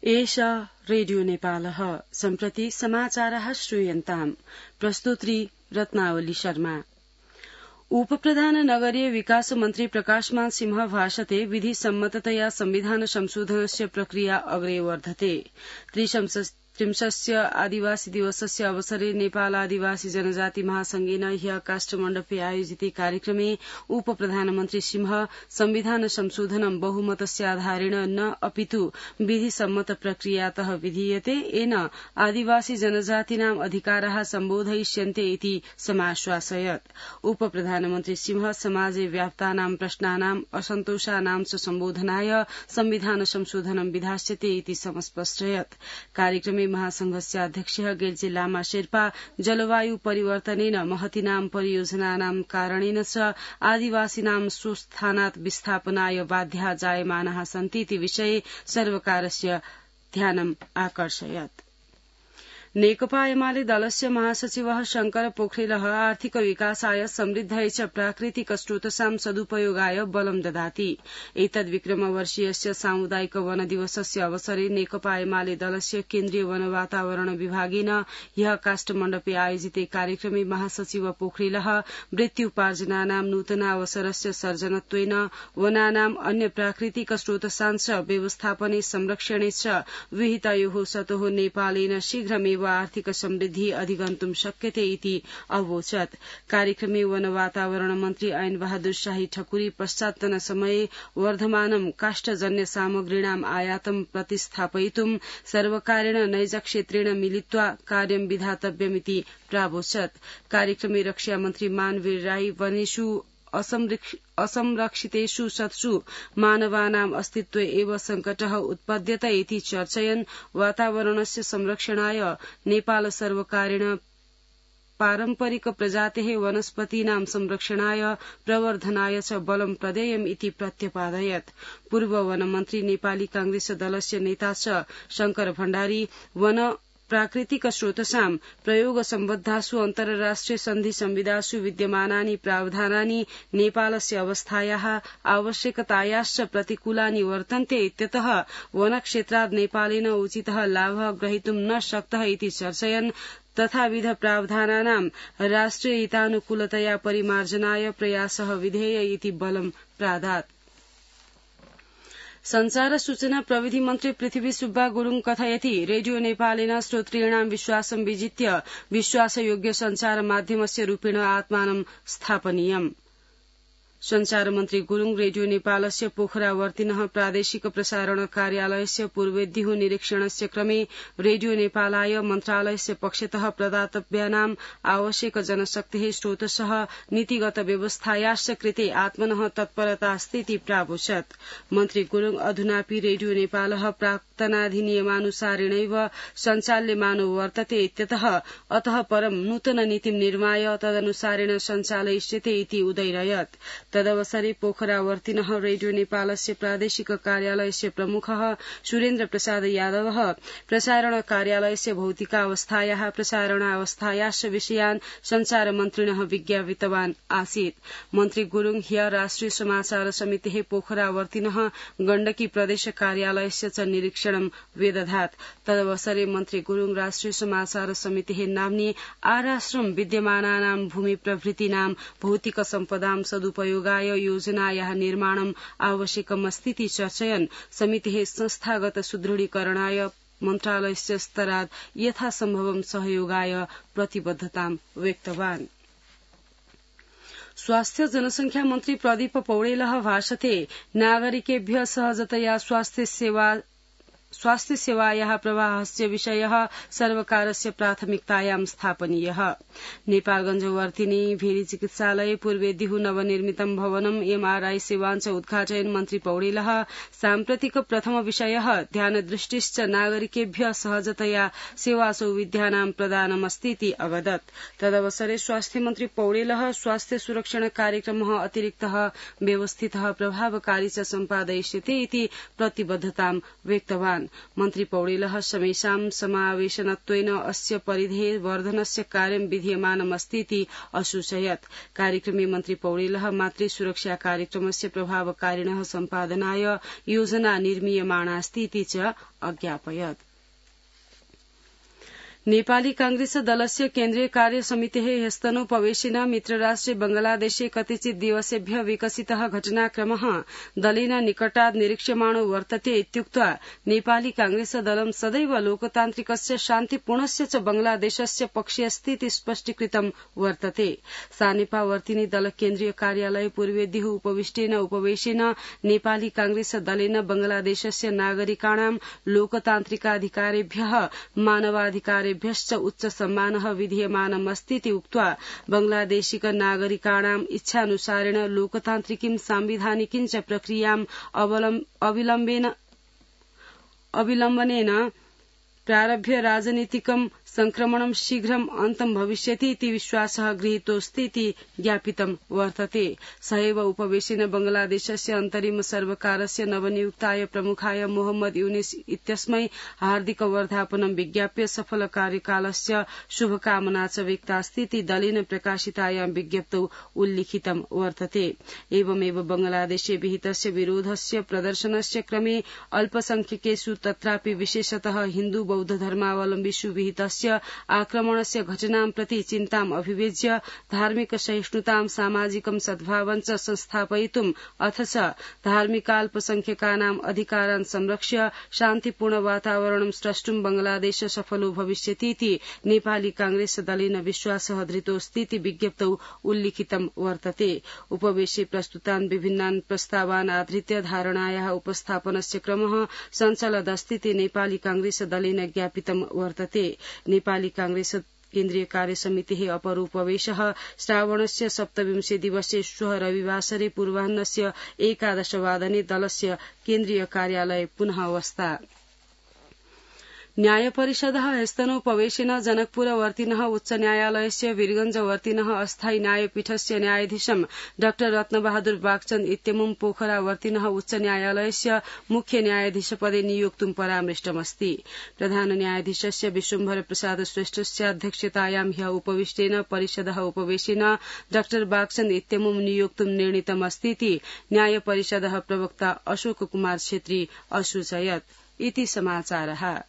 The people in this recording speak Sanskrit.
एषा रेडियो नेपालः सम्प्रति समाचारः श्रूयन्ताम् प्रस्तुत्री रत्नावली शर्मा। उपप्रधान नगरीय विकास मन्त्री प्रकाशमान सिंह भाषते विधिसम्मततया संविधान संशोधनस्य प्रक्रिया अग्रे वर्धते। त्रिंशस्य आदिवासी दिवसस्य अवसरे नेपाल आदिवासी जनजाति महासंघेन ह्य काष्ठमण्डपे आयोजिते कार्यक्रमे उपप्रधानमन्त्री सिंह संविधान संशोधनं बहुमतस्याधारेण न अपितु विधिसम्मत प्रक्रियातः विधीयते येन आदिवासी जनजातीनाम् अधिकाराः सम्बोधयिष्यन्ते इति समाश्वासयत्। उपप्रधानमन्त्री सिंह समाजे व्याप्तानां प्रश्नानाम् असन्तोषानां च सम्बोधनाय संविधान संशोधनं विधास्यते इति समस्पष्टयत्। कार्यक्रमे महासंघस्य अध्यक्षः गेर्जे लामा शेर्पा जलवायु परिवर्तनेन महतीनां परियोजनानां कारणेन च आदिवासीनां स्वस्थानात् विस्थापनाय बाध्याः जायमानाः सन्तीति विषये सर्वकारस्य ध्यानम् आकर्षयत्। नेकपा एमाले दलस्य महासचिवः शंकर पोखरेलः आर्थिक विकासाय समृद्धये च प्राकृतिक स्रोतसां सदुपयोगाय बलं ददाति। एतद्विक्रमवर्षीयस्य सामुदायिक वन दिवसस्य अवसरे नेकपा एमाले दलस्य केन्द्रीय वन वातावरण विभागेन ह्यः काष्ठमण्डपे आयोजिते कार्यक्रमे महासचिव पोखरेलः वृत्त्युपार्जनानां नूतनावसरस्य सर्जनत्वेन वनानाम् अन्य प्राकृतिक स्रोतसांश्च व्यवस्थापने संरक्षणे च विहितयोः सतोः नेपालेन शीघ्रमेव आर्थिक समृद्धि अधिगन्तुं शक्यते इति अवोचत्। कार्यक्रमे वन वातावरण मन्त्री ऐन बहादुर शाही ठकुरी पश्चात्तन समये वर्धमानं काष्ठजन्य सामग्रीणाम् आयातं प्रतिस्थापयितुं सर्वकारेण नैजक्षेत्रेण मिलित्वा कार्यं विधातव्यमिति प्रावोचत्। कार्यक्रमे रक्षामन्त्री मानवीर राई वनेषु असंरक्षितेषु सत्सु मानवानाम् अस्तित्वे एव संकटः उत्पद्यत इति चर्चयन् वातावरणस्य संरक्षणाय नेपाल सर्वकारेण पारम्परिक प्रजातेः वनस्पतीनां संरक्षणाय प्रवर्धनाय च बलं प्रदेयम् इति प्रत्यपादयत्। पूर्व वनमन्त्री नेपाली कांग्रेस दलस्य नेता च शंकर भण्डारी वन प्राकृतिक स्रोतसां प्रयोग सम्बद्धासु अन्तर्राष्ट्रिय सन्धि संविधासु विद्यमानानि प्रावधानानि नेपालस्य अवस्थायाः आवश्यकतायाश्च प्रतिकूलानि वर्तन्ते इत्यतः वनक्षेत्रात् नेपालेन उचितः लाभः ग्रहीतुं न शक्तः इति चर्चयन् तथाविध प्रावधानानां राष्ट्रियहितानुकूलतया परिमार्जनाय प्रयासः विधेय इति बलं प्रादात्। संचार सूचना प्रविधि मन्त्री पृथ्वी सुब्बा गुरूङ कथयति रेडियो नेपालेन श्रोतॄणां विश्वासं विजित्य विश्वासयोग्य संचार माध्यमस्य रूपेण आत्मानं स्थापनीयम्। संचार मन्त्री गुरूङ रेडियो नेपालस्य पोखरावर्तिनः प्रादेशिक प्रसारण कार्यालयस्य पूर्वेद्युः निरीक्षणस्य क्रमे रेडियो नेपालाय मन्त्रालयस्य पक्षतः प्रदातव्यानाम् आवश्यक जनशक्तेः स्रोतसः नीतिगत व्यवस्थायाश्च कृते आत्मनः तत्परता अस्ति इति प्रावोचत्। मन्त्री गुरूङ अधुनापि रेडियो नेपालः प्राक्तनाधिनियमानुसारेणैव सञ्चाल्यमानो वर्तते इत्यतः अतः परं नूतन नीतिं निर्माय तदनुसारेण सञ्चालयिष्यते इति उदैरयत्। तदवसरे पोखरावर्तिनः रेडियो नेपालस्य प्रादेशिक कार्यालयस्य प्रमुखः सुरेन्द्र प्रसाद यादवः प्रसारण कार्यालयस्य भौतिकावस्थायाः प्रसारणावस्थायाश्च विषयान् संचार मन्त्रिणः विज्ञापितवान् आसीत्। मन्त्री गुरूङ ह्य राष्ट्रिय समाचार समितेः पोखरावर्तिनः गण्डकी प्रदेश कार्यालयस्य च निरीक्षणं व्यदधात्। तदवसरे मन्त्री गुरूङ राष्ट्रिय समाचार समितेः नाम्नि आराश्रम विद्यमानानां भूमि प्रभृतीनां भौतिक सम्पदां सदुपयोग योजनायाः निर्माणम् आवश्यकमस्तीति चर्चयन् समितेः संस्थागत सुदृढीकरणाय मन्त्रालयस्य स्तरात् यथासम्भवं सहयोगाय प्रतिबद्धतां व्यक्तवान्। स्वास्थ्य जनसंख्या मन्त्री प्रदीप पौडेलः भाषते नागरिकेभ्यः सहजतया स्वास्थ्य सेवायाः प्रवाहस्य विषयः सर्वकारस्य प्राथमिकतायां स्थापनीयः। नेपालगञ्ज वर्तिनी भेरी चिकित्सालये पूर्वेद्युः नवनिर्मितं भवनं एमआरआई सेवाञ्च उद्घाटयन् मन्त्री पौडेलः साम्प्रतिक प्रथम विषयः ध्यानदृष्टिश्च नागरिकेभ्यः सहजतया सेवासौविध्यानां प्रदानमस्तीति अवदत्। तदवसरे स्वास्थ्य मन्त्री पौडेलः स्वास्थ्य सुरक्षण कार्यक्रमः अतिरिक्तः व्यवस्थितः प्रभावकारी च सम्पादयिष्यते इति प्रतिबद्धतां व्यक्तवान्। उक्तवान्। मन्त्री पौडेलः समेषां समावेशनत्वेन अस्य परिधेः वर्धनस्य कार्यं विधीयमानमस्तीति असूचयत्। कार्यक्रमे मन्त्री पौडेलः मातृ सुरक्षा कार्यक्रमस्य प्रभावकारिणः सम्पादनाय योजना निर्मीयमाणास्तीति च अज्ञापयत्। नेपाली कांग्रेस दलस्य केन्द्रीय कार्य समितेः ह्यस्तनोपवेशेन मित्रराष्ट्रे बंगलादेशे कतिचित् दिवसेभ्यः विकसितः घटनाक्रमः दलेन निकटात् निरीक्ष्यमाणो वर्तते इत्युक्त्वा नेपाली कांग्रेस दलं सदैव लोकतान्त्रिकस्य शान्तिपूर्णस्य च बंगलादेशस्य पक्षे अस्तीति स्पष्टीकृतं वर्तते। सानेपावर्तिनी दल केन्द्रीय कार्यालय पूर्वेद्युः उपवेशेन नेपाली कांग्रेस दलेन बंगलादेशस्य नागरिकाणां लोकतान्त्रिकाधिकारेभ्यः मानवाधिकारेभ्यश्च उच्च सम्मानः विधीयमानमस्तीति उक्त्वा बंगलादेशिक नागरिकाणाम् इच्छानुसारेण लोकतान्त्रिकीं सांविधानिकीं च प्रक्रियाम् अविलम्बनेन प्रारभ्य राजनीतिकं संक्रमणं शीघ्रं अन्तं भविष्यति इति विश्वासः गृहीतोऽस्तीति ज्ञापितं वर्तते। सहैव उपवेशेन बंगलादेशस्य अन्तरिम सर्वकारस्य नवनियुक्ताय प्रमुखाय मोहम्मद यूनिस इत्यस्मै हार्दिक वर्धापनं विज्ञाप्य सफल कार्यकालस्य शुभकामना च व्यक्तास्तीति दलेन प्रकाशितायां विज्ञप्तौ उल्लिखितं वर्तते। एवमेव बंगलादेशे विहितस्य विरोधस्य प्रदर्शनस्य क्रमे अल्पसंख्यकेषु तत्रापि विशेषतः हिन्दू बौद्ध धर्मावलम्बिषु विहितस्य आक्रमणस्य घटनां प्रति चिन्ताम् अभिव्यज्य धार्मिक सहिष्णुतां सामाजिकं सद्भावं च संस्थापयितुम् अथ च धार्मिकाल्पसंख्यकानाम् अधिकारान् संरक्ष्य शान्तिपूर्ण वातावरणं स्रष्टुं बंगलादेश सफलो भविष्यतीति नेपाली कांग्रेस दलेन विश्वासः धृतोऽस्तीति विज्ञप्तौ उल्लिखितं वर्तते। उपवेशे प्रस्तुतान् विभिन्नान् प्रस्तावान् आधृत्य धारणायाः उपस्थापनस्य क्रमः सञ्चलदस्तीति नेपाली कांग्रेस दलेन ज्ञापितं वर्तते। नेपाली कांग्रेस केन्द्रीय कार्य समितेः अपरोपवेशः श्रावणस्य 27 दिवसे श्वः रविवासरे पूर्वाह्नस्य 11 वादने दलस्य केन्द्रीय कार्यालये पुनः अवस्था। न्यायपरिषदः ह्यस्तनोपवेशेन जनकपुरवर्तिनः उच्च न्यायालयस्य वीरगंजवर्तिनः अस्थायी न्यायपीठस्य न्यायाधीशं डॉ रत्नबहादुर बागचंद इत्यमुं पोखरावर्तिनः उच्च न्यायालयस्य मुख्य न्यायाधीशपदे नियोक्तुं परामृष्टमस्ति। प्रधान न्यायाधीशस्य विश्वम्भर प्रसाद श्रेष्ठस्य अध्यक्षतायां ह्यः उपविष्टेन परिषदः उपवेशेन डॉ बागचंद इत्यमुं नियोक्तुं निर्णीतमस्तीति न्यायपरिषदः प्रवक्ता अशोक कुमार छेत्री असूचयत्। इति समाचारः।